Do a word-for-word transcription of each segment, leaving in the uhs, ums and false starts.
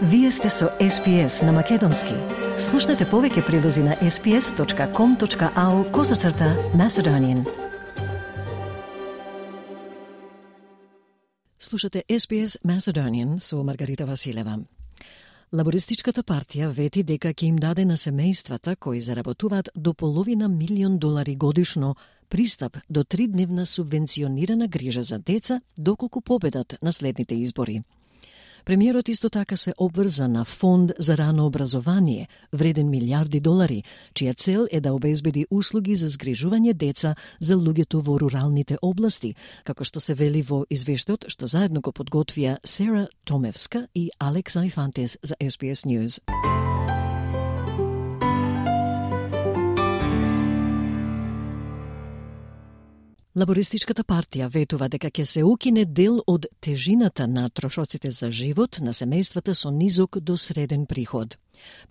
Вие сте со Ес Би Ес на Македонски. Слушнете повеќе прилози на ес би ес точка ком точка ау козацрта Macedonian. Слушате Ес Би Ес Macedonian со Маргарита Василева. Лабористичката партија вети дека ќе им даде на семејствата кои заработуваат до половина милион долари годишно пристап до тридневна субвенционирана грижа за деца доколку победат на следните избори. Премиерот исто така се обврза на фонд за рано образование, вреден милиарди долари, чија цел е да обезбеди услуги за згрижување деца за луѓето во руралните области, како што се вели во извештајот што заедно го подготвија Сера Томевска и Алекса Ифантес за Ес Би Ес News. Лабористичката партија ветува дека ќе се укине дел од тежината на трошоците за живот на семејствата со низок до среден приход.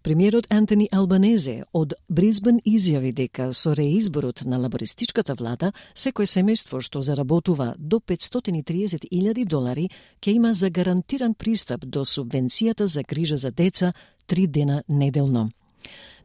Премиерот Антони Албанезе од Брисбен изјави дека со реизборот на лабористичката влада секој семејство што заработува до петстотини и триесет илјади долари ќе има загарантиран пристап до субвенцијата за грижа за деца три дена неделно.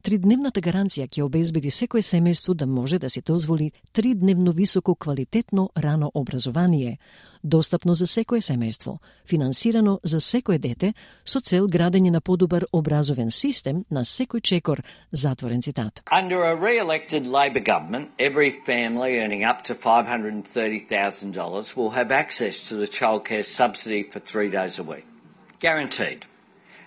Тридневната гаранција ќе обезбеди секој семејство да може да си дозволи тридневно високо квалитетно рано образование, достапно за секое семејство, финансирано за секое дете, со цел градење на подобар образовен систем на секој чекор, затворен цитат. Under a re-elected Labor government, every family earning up to five hundred thirty thousand dollars will have access to the childcare subsidy for three days a week. Guaranteed.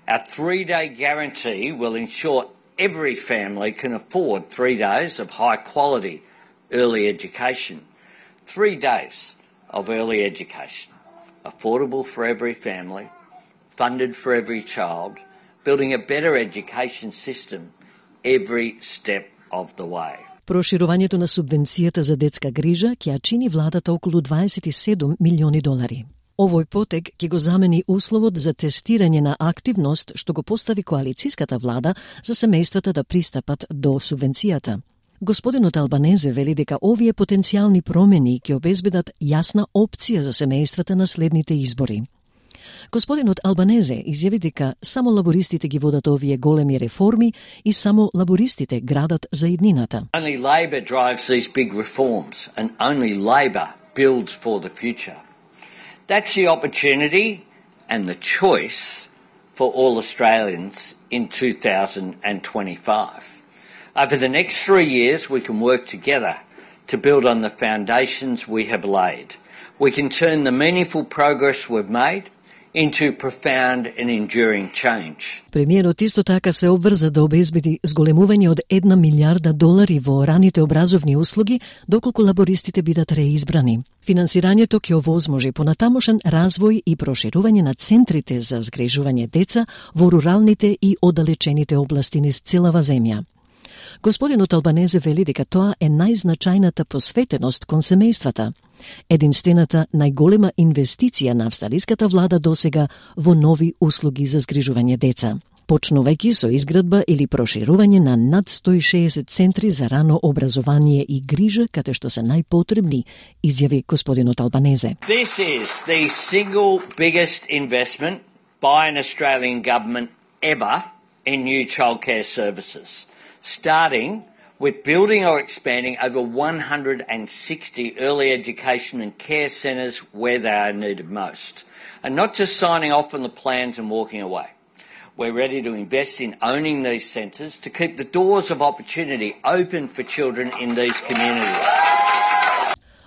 Our three-day guarantee will ensure every family can afford three days of high-quality early education. Three days of early education, affordable for every family, funded for every child, building a better education system every step of the way. Проширувањето на субвенцијата за детска грижа ќе ја чини владата околу дваесет и седум милиони долари. Овој потег ќе го замени условот за тестирање на активност што го постави коалициската влада за семејствата да пристапат до субвенцијата. Господинот Албанезе вели дека овие потенцијални промени ќе обезбедат јасна опција за семејствата на следните избори. Господинот Албанезе изјави дека само лабористите ги водат овие големи реформи и само лабористите градат за иднината. Only Labor drives these big reforms and only Labor builds for the future. That's the opportunity and the choice for all Australians in two thousand twenty-five. Over the next three years, we can work together to build on the foundations we have laid. We can turn the meaningful progress we've made into profound and enduring change. Премиерот исто така се обврза да обезбеди зголемување од една милиарда долари во раните образовни услуги доколку лабористите бидат реизбрани. Финансирањето ќе овозможи понатамошен развој и проширување на центрите за згрижување деца во руралните и оддалечените области низ целава земја. Господинот Албанезе вели дека тоа е најзначајната посветеност кон семејствата, единствената најголема инвестиција на австралиската влада досега во нови услуги за згрижување деца, почнувајќи со изградба или проширување на над сто и шеесет центри за рано образование и грижа каде што се најпотребни, изјави господинот Албанезе. This is the single biggest investment by an Australian government ever in new childcare services, starting with building or expanding over one hundred sixty early education and care centres where they are needed most, and not just signing off on the plans and walking away. We're ready to invest in owning these centres to keep the doors of opportunity open for children in these communities.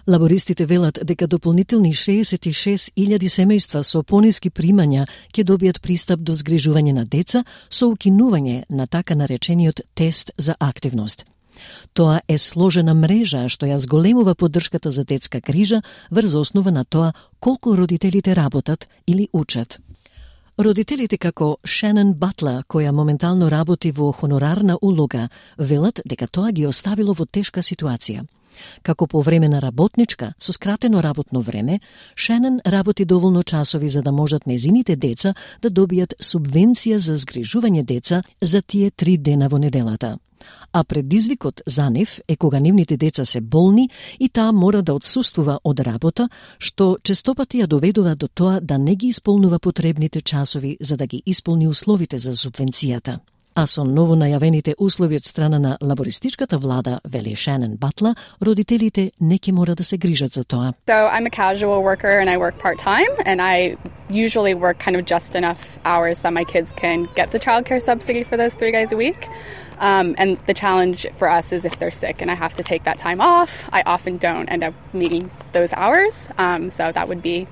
Лабористите велат дека дополнителни шеесет и шест илјади семејства со пониски примања ќе добијат пристап до згрижување на деца со укинување на така наречениот тест за активност. Тоа е сложена мрежа што ја зголемува поддршката за детска грижа врз основа на тоа колку родителите работат или учат. Родителите како Шенен Батла, која моментално работи во хонорарна улога, велат дека тоа ги оставило во тешка ситуација. Како по време на работничка, со скратено работно време, Шенен работи доволно часови за да можат незините деца да добијат субвенција за згрижување деца за тие три дена во неделата. а предизвикот за нив е кога нивните деца се болни и таа мора да отсуствува од работа, што честопати ја доведува до тоа да не ги исполнува потребните часови за да ги исполни условите за субвенцијата. А со ново најавените услови од страна на лабористичката влада, вели Шанон Батла, родителите не ќе мора да се грижат за тоа. So I'm a casual worker and I work part-time and I usually work kind of just enough hours that my kids can get the childcare subsidy for those three days a week. Um, and the challenge for us is if they're sick and I have to take that time off, I often don't end up meeting those hours. Um, so that would be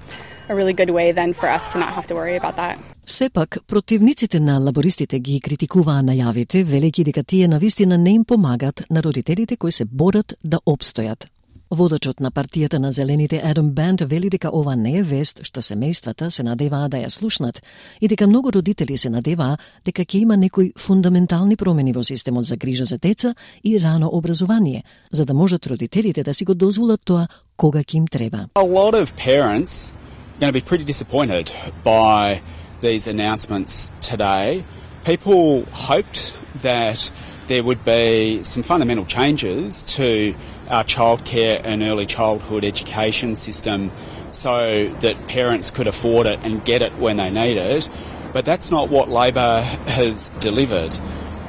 a really good way then for us to not have to worry about that. Сепак, противниците на лабористите ги критикуваа најавите, велејќи дека тие навистина не им помагат на родителите кои се борат да опстојат. Водачот на партијата на Зелените Адам Банд вели дека ова не е вест што семејствата се надеваа да ја слушнат и дека многу родители се надеваа дека ќе има некои фундаментални промени во системот за грижа за деца и рано образование, за да можат родителите да си го дозволат тоа кога ќе им треба. A lot of parents are going to be pretty disappointed by these announcements today. People hoped that there would be some fundamental changes to our childcare and early childhood education system so that parents could afford it and get it when they need it. But that's not what Labor has delivered.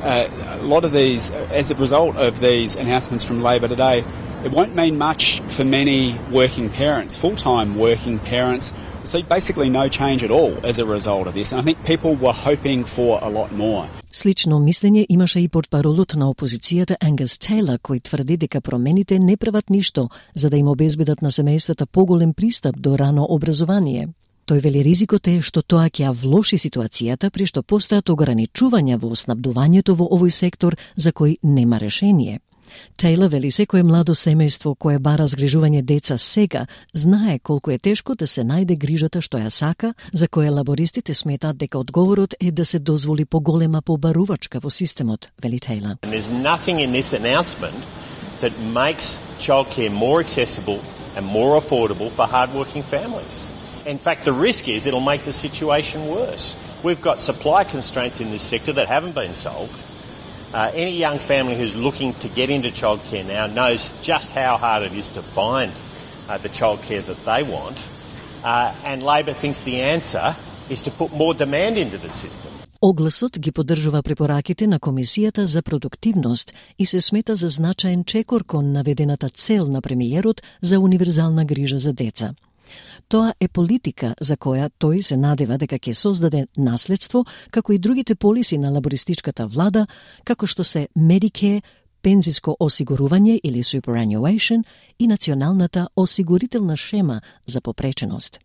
Uh, a lot of these, as a result of these announcements from Labor today, it won't mean much for many working parents, full-time working parents. So basically no change at all as a result of this. And I think people were hoping for a lot more. Слично мислење имаше и портпаролот на опозицијата Ангус Тейлор, кој тврди дека промените не прават ништо за да им обезбедат на семејствата поголем пристап до рано образование. Тој вели ризикот е што тоа ќе ја влоши ситуацијата при што постојат ограничувања во снабдувањето во овој сектор за кој нема решение. Тейлор вели секое младо семејство кое бара згрижување деца сега знае колку е тешко да се најде грижата што ја сака, за која лабористите сметаат дека одговорот е да се дозволи поголема побарувачка во системот, вели Тейлор. There's nothing in this announcement that makes childcare more accessible and more affordable for hardworking families. In fact, the risk is it'll make the situation worse. We've got supply constraints in this sector that haven't been solved. Uh, any young family who's looking to get into childcare now knows just how hard it is to find uh, the childcare that they want. Uh, and Labor thinks the answer is to put more demand into the system. Огласот ги поддржува препораките на Комисијата за продуктивност и се смета за значаен чекор кон наведената цел на премиерот за универзална грижа за деца. Тоа е политика за која тој се надева дека ќе создаде наследство, како и другите полиси на лабористичката влада, како што се Medicare, пензиско осигурување или superannuation и националната осигурителна шема за попреченост.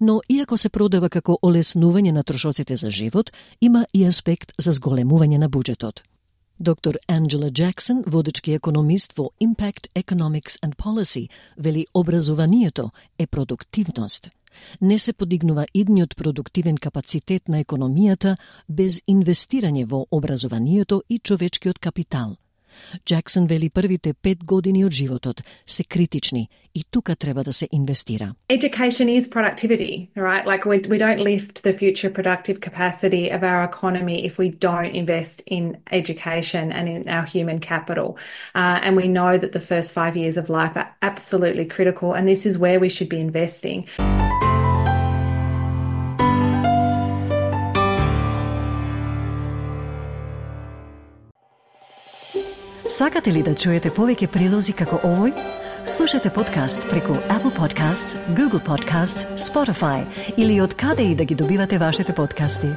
Но иако се продава како олеснување на трошоците за живот, има и аспект за зголемување на буџетот. Доктор Анджела Джаксон, водечки економист во Impact Economics and Policy, вели образованието е продуктивност. Не се подигнува идниот продуктивен капацитет на економијата без инвестирање во образованието и човечкиот капитал. Джаксон вели првите пет години од животот се критични и тука треба да се инвестира. Education is productivity, right? Like we, we don't lift the future productive capacity of our economy if we don't invest in education and in our human capital. Uh, and we know that the first five years of life are absolutely critical, and this is where we should be investing. Сакате ли да чуете повеќе прилози како овој? Слушате подкаст преку Apple Podcasts, Google Podcasts, Spotify или од каде и да ги добивате вашите подкасти.